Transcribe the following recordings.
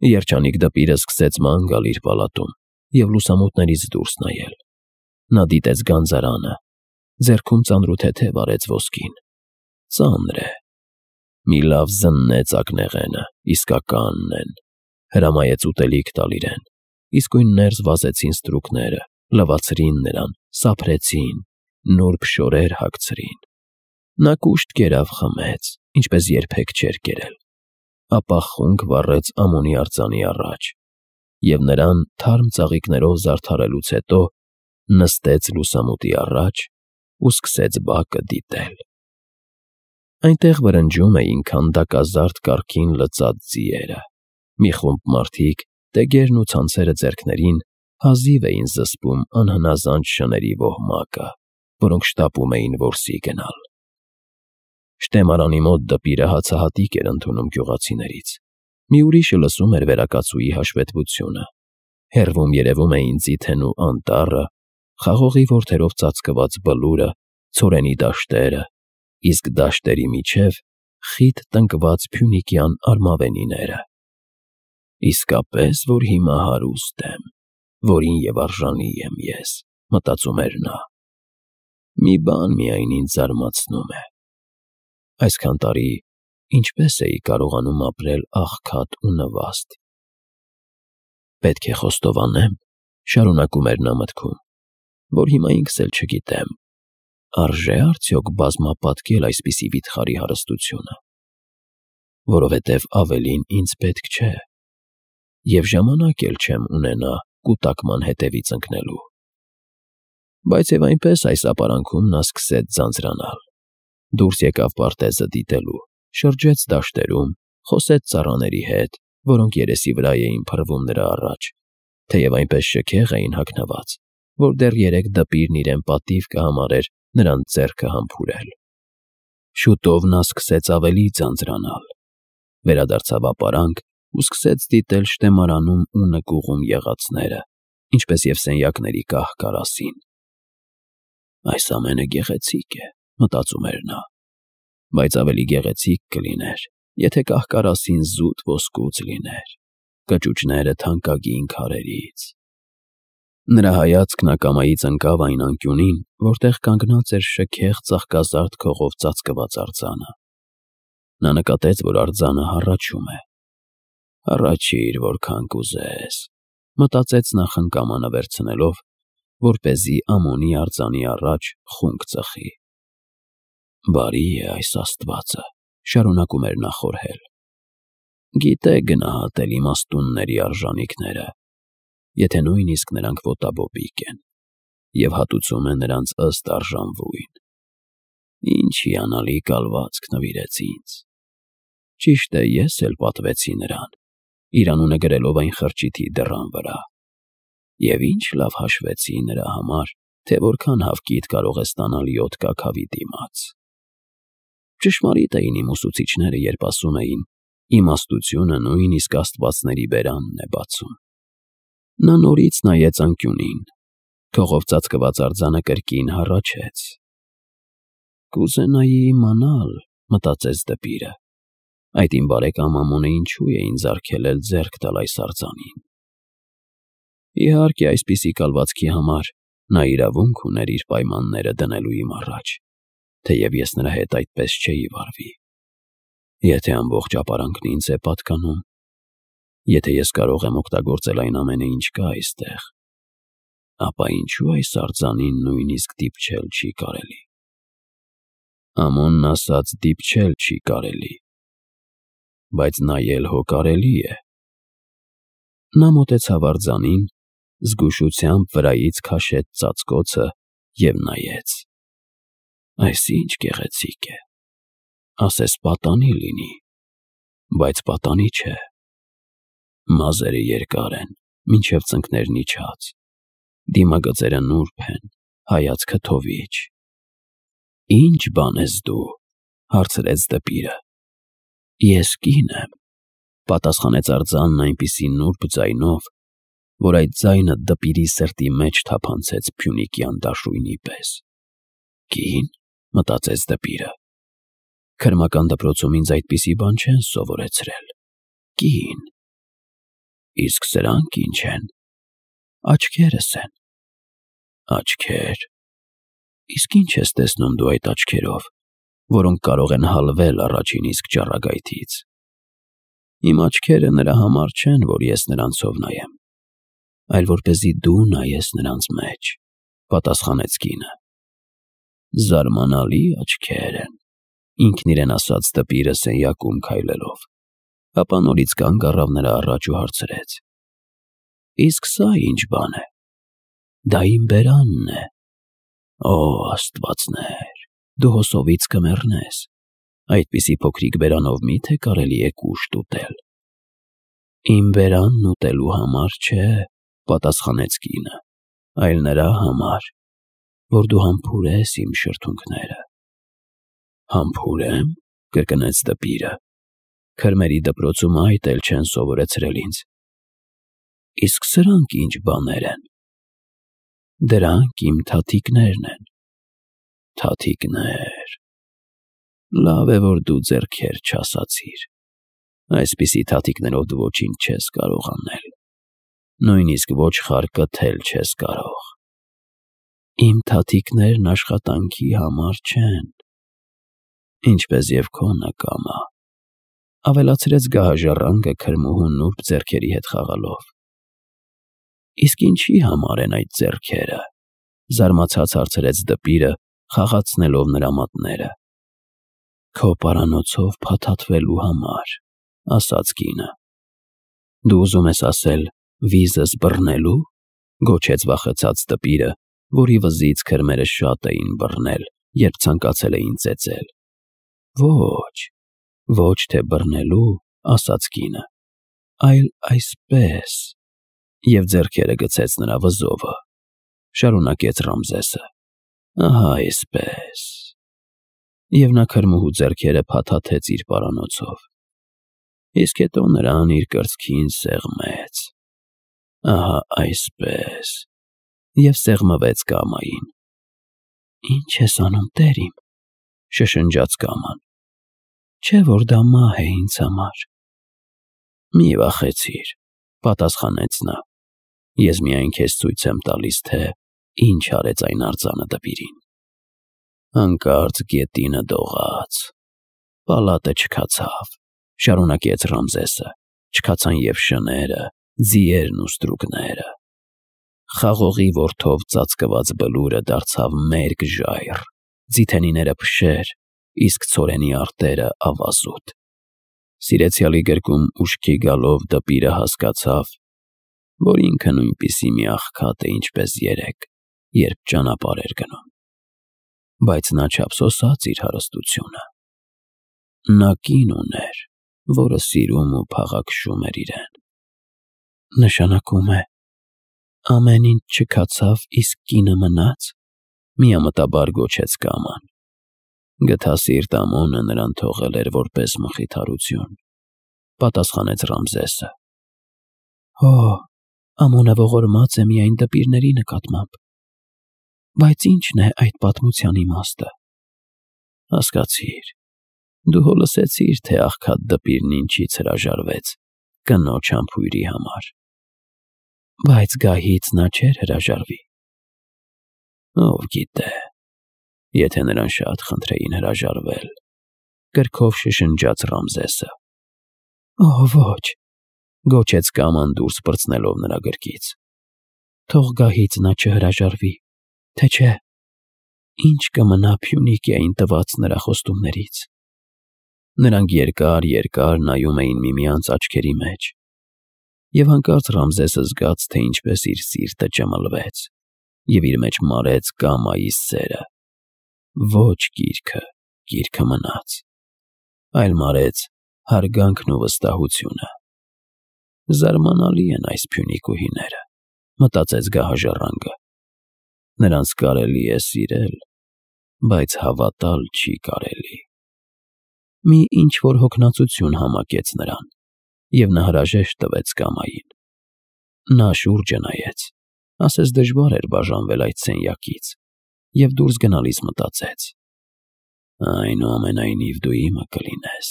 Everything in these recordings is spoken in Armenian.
Երջանիկ դպիրը սկսեց ման գալ իր պալատում և լուսամուտներից դուրս նայել։ Նա դիտեց գանձարանը, ձեռքում ծանրութեթև արեց ոսկին։ Ծանր է։ Մի լավ զննեց ակնեղենը, իսկականն են, հրամայեց ուտելիք տալ իրեն, իսկույն ներս վազեցին ստրուկները, լվացրին նրան, սափրեցին, նուրբ շորեր հագցրին։ Նա կուշտ կերավ խմեց, ինչպես երբեք չէր կերել, ապա խունկ վառեց Ամոնի արձանի առաջ և նրան թարմ ծաղիկներով զարդարելուց հետո նստեց լուսամուտի առաջ ու սկսեց բակը դիտել։ Այնտեղ վրնջում էին քանդակազարդ կառքին լծած ձիերը։ Մի խումբ մարդիկ, դեգերն ու ցանցերը ձեռքներին, հազիվ էին զսպում անհնազանդ շների ոհմակը, որոնք շտապում էին որսի գնալ։ Շտեմարանի մոտ դպիրը հացահատիկ էր ընդունում գյուղացիներից։ Մի ուրիշը լսում էր վերակացուի հաշվետվությունը։ Հեռվում երևում էին ձիթենու անտառը, խաղողի որդերով ծածկված բլուրը, ցորենի դաշտերը, իսկ դաշտերի միջև խիտ տնկված փյունիկյան արմավենիները։ «Իսկապես, որ հիմա հարուստ եմ, որին և արժանի եմ ես», մտածում էր նա։ «Մի բան միայն ինձ զարմացնում է. այսքան տարի ինչպես էի կարողանում ապրել աղքատ ու նվաստ։ Պետք է խոստովանեմ, շարունակում էր նա մտքում, որ հիմա ինքս էլ չգիտեմ, արժե՞ արդյոք բազմապատկել այսպիսի վիթխարի հարստությունը, որովհետև ավելին ինձ պետք չէ, և ժամանակ էլ չեմ ունենա կուտակման հետևից ընկնելու»։ Բայց և այնպես այս ապարանքում նա սկսեց ձանձրանալ։ Դուրս եկավ պարտեզը դիտելու, շրջեց դաշտերում, խոսեց ծառաների հետ, որոնք երեսի վրա էին փռվում նրա առաջ, թեև այնպես շքեղ էին հագնված, որ դեռ երեկ դպիրն իրեն պատիվ կհամարեր նրանց ձեռքը համբուրել։ Շուտով նա սկսեց ավելի ձանձրանալ։ Վերադարձավ ապարանք ու սկսեց դիտել շտեմարանում ու նկուղում եղածները, ինչպես և սենյակների կահ֊կարասին։ «Այս ամենը գեղեցիկ է», մտածում էր նա, «բայց ավելի գեղեցիկ կլիներ, եթե կահ֊կարասին զուտ ոսկուց լիներ, կճուճները թանկագին քարերից»։ Նրա հայացքն ակամայից ընկավ այն անկյունին, որտեղ կանգնած էր շքեղ ծաղկազարդ քողով ծածկված արձանը։ Նա նկատեց, որ արձանը հառաչում է։ «Հառաչիր, որքան կուզես», մտածեց նա խնկամանը վերցնելով, որպեսզի Ամոնի արձանի առաջ խունկ ծխի։ «Բարի է այս Աստվածը», շարունակում էր նա խորհել։ «Գիտե գնահատել իմաստունների արժանիքները, եթե նույնիսկ նրանք ոտաբոբիկ են, և հատուցում է նրանց ըստ արժանվույն։ Ինչ հիանալի կալվածք նվիրեց ինձ։ Ճիշտ է, ես էլ պատվեցի նրան, իր անունը գրելով այն խրճիթի դռան վրա, և ինչ լավ հաշվեցի նրա համար, թե որքան հավկիթ կարող է ստանալ 7 կաքավի դիմաց։ Ճշմարիտ էին իմ ուսուցիչները, երբ ասում էին. իմաստությունը նույնիսկ աստվածների բերանն է բացում»։ Նա նորից նայեց անկյունին։ Քողով ծածկված արձանը կրկին հառաչեց։ «Կուզենայի իմանալ», մտածեց դպիրը, «այդ իմ բարեկամ Ամոնը ինչու է ինձ արգելել ձեռք տալ այս արձանին։ Իհարկե, այսպիսի կալվածքի համար նա իրավունք ուներ իր պայմանները դնելու իմ առաջ, թեև ես նրա հետ այդպես չէի վարվի։ Եթե ամբողջ ապարանքն ինձ է պատկանում, եթե ես կարող եմ օգտագործել այն ամենը, ինչ կա այստեղ, ապա ինչու այս արձանին նույնիսկ դիպչել չի կարելի։ Ամոնն ասաց դիպչել չի կարելի, բայց նայել հո կարելի է»։ Նա մոտեցավ արձանին, զգուշությամբ վրայից քաշեց ծածկոցը և նայեց։ «Այս ինչ գեղեցիկ է, ասես պատանի լինի, բայց պատանի չէ։ Մազերը երկար են, մինչև ծնկներն իջած, դիմագծերը նուրբ են, հայացքը թովիչ»։ «Ի՞նչ բան ես դու», հարցրեց դպիրը։ «Ես կին եմ», պատասխանեց արձանն այնպիսի նուրբ ձայնով, որ այդ ձայնը դպիրի սրտի մեջ թափանցեց փյունիկյան դաշույնի պես։ «Կի՞ն», մտածեց դպիրը։ «Քրմական դպրոցում ինձ այդպիսի բան չեն սովորեցրել։ Կին»։ Իսկ սրանք ինչ են։ Աչքերս են։ Աչքեր։ Իսկ ինչ ես տեսնում դու այդ աչքերով, որոնք կարող են հալվել առաջին իսկ ճառագայթից։ Իմ աչքերը նրա համար չեն, որ ես նրանցով նայեմ, այլ որպեսզի դու նայես նրանց մեջ, պատասխանեց կինը։ Զարմանալի աչքեր են, ինքն իրեն ասաց դպիրը սենյակում քայլելով, ապա նորից կանգ առավ նրա առաջ ու հարցրեց. Իսկ սա ինչ բան է։ Դա իմ բերանն է։ Օ, աստվածներ, դու հոսովից կմեռնես։ Այդպիսի փոքրիկ բերանով միթե կարելի է կուշտ ուտել։ Իմ բերանն ուտելու համար չէ, պատասխանեց կինը, այլ նրա համար, որ դու համբուրես իմ շրթունքները։ Համբուրեմ, կրկնեց դպիրը։ Քրմերի դպրոցում այդ էլ չեն սովորեցրել ինձ։ Իսկ սրանք ինչ բաներ են։ Դրանք իմ թաթիկներն են։ Թաթիկներ։ Լավ է, որ դու ձեռքեր չասացիր։ Այսպիսի թաթիկներով դու ոչինչ չես կարող անել։ Նույնիսկ ոչխար կթել չես կարող։ Իմ թաթիկներն աշխատանքի համար չեն։ Ինչպես և քո նկամը, ավելացրեց գահաժառանգը քրմուհու նուրբ ձեռքերի հետ խաղալով։ Իսկ ինչի համար են այդ ձեռքերը, զարմացած հարցրեց դպիրը, խաղացնելով նրա մատները։ Քո պարանոցով փաթաթվելու համար, ասաց կինը։ Դու ուզում ես ասել վիզս բռնելու, գոչեց վախեցած դպիրը, որի վզից քրմերը շատ էին բռնել, երբ ցանկացել էին ծեծել։ Ոչ թե բռնելու, ասաց կինը, այլ այսպես, և ձեռքերը գցեց նրա վզովը, շարունակեց Ռամզեսը, ահա այսպես, և նա քրմուհու ձեռքերը փաթաթեց իր պարանոցով, իսկ հետո նրան իր կրծքին սեղմեց, ահա այսպես, և սեղմվեց կամային։ Ինչ ես անում, տեր իմ, շշնջաց կաման, չէ՞ որ դա մահ է ինձ համար։ Մի վախեցիր, պատասխանեց նա, ես միայն քեզ ցույց եմ տալիս, թե ինչ արեց այն արձանը դպիրին։ Հանկարծ գետինը դողաց, պալատը չքացավ, շարունակեց Ռամզեսը, չքացան և շները, ձիերն ու ստրուկները։ Խաղողի որդով ծածկված բլուրը դարձավ մերկ ժայռ, ձիթենիները փշեր, իսկ ցորենի արտերը ավազուտ։ Սիրեցյալի գրկում ուշքի գալով դպիրը հասկացավ, որ ինքը նույնպիսի մի աղքատ է, ինչպես երեկ, երբ ճանապարհ էր գնում։ Բայց նա չափսոսաց իր հարստությունը։ Նա կին ուներ, որը սիրում ու փաղաքշում էր իրեն։ Նշանակում է, ամեն ինչ չքացավ, իսկ կինը մնաց, միամտաբար գոչեց կաման։ Գթասիրտ Ամոնը նրան թողել էր որպես մխիթարություն, պատասխանեց Ռամզեսը։ Ամոնը ողորմած է միայն դպիրների նկատմամբ։ Բայց ի՞նչն է այդ պատմության իմաստը։ Հասկացիր, դու հո լսեցիր, թե աղքատ դպիրն ինչից հրաժարվեց կնոջ համբույրի համար։ Բայց գահից նա չէր հրաժարվի։ Ով գիտե, եթե նրան շատ խնդրեին հրաժարվել, կրքով շշնջաց Ռամզեսը։ Ոչ, գոչեց կաման դուրս պրծնելով նրա գրկից։ Թող գահից նա չհրաժարվի, թե չէ, ինչ կմնա Փյունիկիային տված նրա խոստումներից։ Նրանք երկար նայում էին միմյանց աչքերի մեջ, և հանկարծ Ռամզեսը զգաց, թե ինչպես իր սիրտը ճմլվեց, և իր մեջ մարեց կամայի սերը։ Ոչ գիրքը մնաց, այլ մարեց հարգանքն ու վստահությունը։ Զարմանալի են այս փյունիկուհիները, մտածեց գահաժառանգը։ Նրանց կարելի է սիրել, բայց հավատալ չի կարելի։ Մի ինչ-որ հոգնածություն համակեց նրան, և նա հրաժեշտ տվեց կամային։ Նա շուրջը նայեց, ասես դժվար էր բաժանվել այդ սենյակից, և դուրս գնալիս մտածեց. այնուամենայնիվ դու իմը կլինես,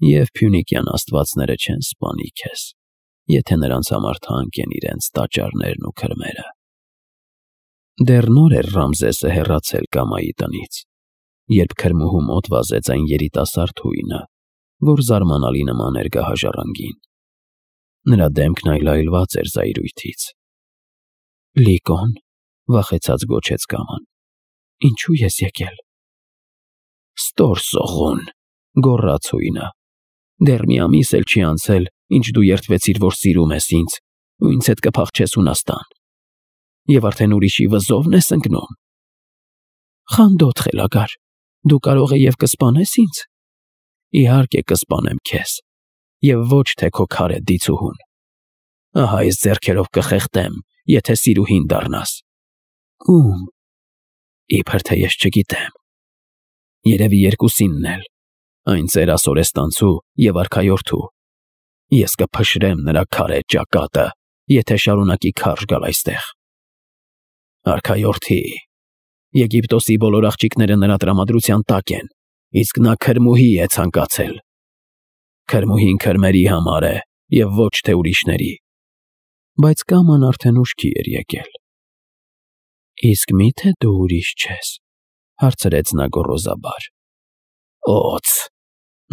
և փյունիկյան աստվածները չեն սպանի քեզ, եթե նրանց համար թանկ են իրենց տաճարներն ու քրմերը։ Դեռ նոր էր Ռամզեսը հեռացել Կամայի տնից, երբ քրմուհու մոտ վազեց այն երիտասարդ հույնը, որ զարմանալի նման էր գահաժառանգին։ Նրա դեմքն այլայլված էր զայրույթից։ Լիկոն, վախեցած գոչեց Կաման, ինչու ես եկել։ Ստոր սողուն, գոռաց հույնը, դեռ մի ամիս էլ չի անցել, ինչ դու երդվեցիր, որ սիրում ես ինձ ու ինձ հետ կփախչես Հունաստան, և արդեն ուրիշի վզովն ես ընկնում։ Խանդոտ խելագար, դու կարող և կսպանես ինձ։ Իհարկե կսպանեմ քեզ, և ոչ թե քո քարե դիցուհուն։ Ահա այս ձեռքերով կխեղդեմ, եթե սիրուհին դառնաս։ Ում։ Իբր թե ես չգիտեմ։ Երևի երկուսինն էլ, այն ծեր ասորեստանցու և արքայորդու։ Ես կփշրեմ նրա քարե ճակատը, եթե շարունակի քարշ գալ այստեղ։ Արքայորդի, Եգիպտոսի բոլոր աղջիկները նրա տրամադրության տակ են, իսկ նա քրմուհի է ցանկացել։ Քրմուհին քրմերի համար է և ոչ թե ուրիշների։ Բայց Կաման արդեն ուշքի էր եկել։ Իսկ մի՞թե դու ուրիշ չես, հարցրեց նա գոռոզաբար։ Օձ,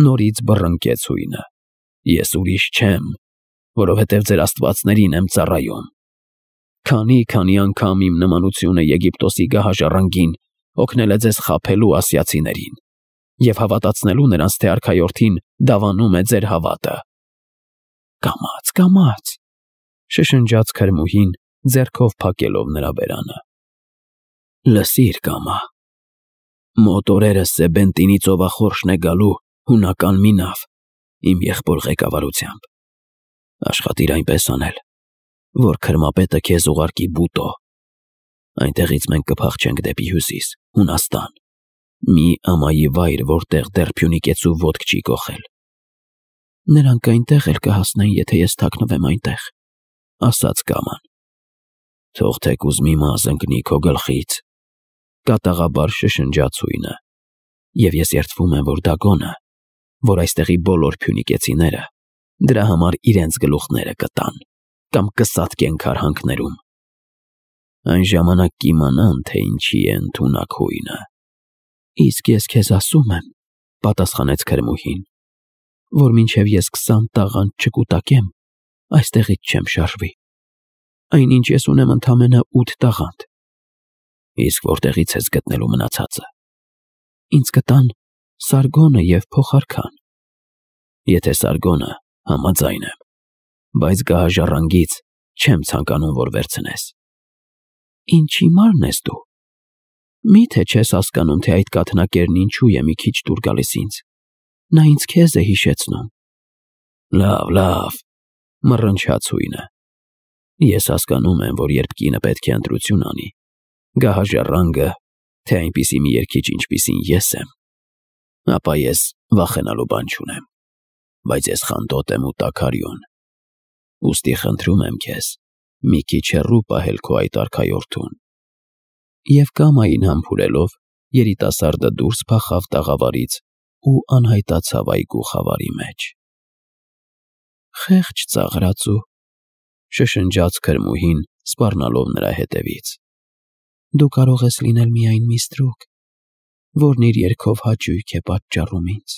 նորից բռնկեց հույնը։ Ես ուրիշ չեմ, որովհետև ձեր աստվածներին եմ ծառայում։ Քանի անգամ իմ նմանությունը Եգիպտոսի գահաժառանգին օգնել է ձեզ խաբելու ասիացիներին և հավատացնելու նրանց, թե արքայորդին դավանում է ձեր հավատը։ Կամաց, շշնջաց քրմուհին, ձեռքով փակելով նրա բերանը։ Լսիր, Կամա, մոտ օրերս Սեբենտինի ծովախորշն է գալու հունական մի նավ, իմ եղբոր ղեկավարությամբ։ Աշխատիր այնպես անել, որ քրմապետը քեզ ուղարկի Բուտո։ Այնտեղից մենք կփախչենք դեպի հյուսիս, Հունաստան, մի ամայի վայր, որտեղ դեռ Փյունիկեցու ոտք չի կոխել։ Նրանք այնտեղ էլ կհասնեն, եթե ես թաքնվեմ այնտեղ, ասաց Կաման։ Թող թեկուզ մի մազ ընկնի քո գլխից, կատաղաբար շշնջաց հույնը, և ես երդվում եմ, որ Դագոնը, որ այստեղի բոլոր փյունիկեցիները դրա համար իրենց գլուխները կտան կամ կսատկեն քարհանքներում։ Այն ժամանակ կիմանան, թե ինչի է ընդունակ հույնը։ Իսկ ես քեզ ասում եմ, պատասխանեց քրմուհին, որ մինչև ես 20 տաղանդ չկուտակեմ, այստեղից չեմ շարժվի։ Այնինչ ես ունեմ ընդամենը 8 տաղանդ։ Իսկ որտեղից ես գտնելու մնացածը։ Ինձ կտան Սարգոնը և փոխարքան։ Եթե Սարգոնը, համաձայն եմ, բայց գահաժառանգից չեմ ցանկանում, որ վերցնես։ Ինչ հիմարն ես դու։ Մի՞թե չես հասկանում, թե այդ կաթնակերն ինչու է մի քիչ դուր գալիս ինձ։ Նա ինձ քեզ է հիշեցնում։ Լավ, մռնչաց հույնը։ Ես հասկանում եմ, որ երբ կինը պետք է ընտրություն անի, գահաժառանգը, թե այնպիսի մի երգիչ, ինչպիսին ես եմ, ապա ես վախենալու բան չունեմ, բայց ես խանդոտ եմ ու տաքարյուն։ Ուստի խնդրում եմ քեզ մի քիչ հեռու պահել քո այդ արքայորդուն։ Եվ Կամային համբուրելով, երիտասարդը դուրս փախավ տաղավարից ու անհայտացավ այգու խավարի մեջ։ Խեղճ ծաղրածու, շշնջաց քրմուհին, սպառնալով նրա հետևից։ Դու կարող ես լինել միայն մի ստրուկ, որն իր երգով հաճույք է պատճառում ինձ։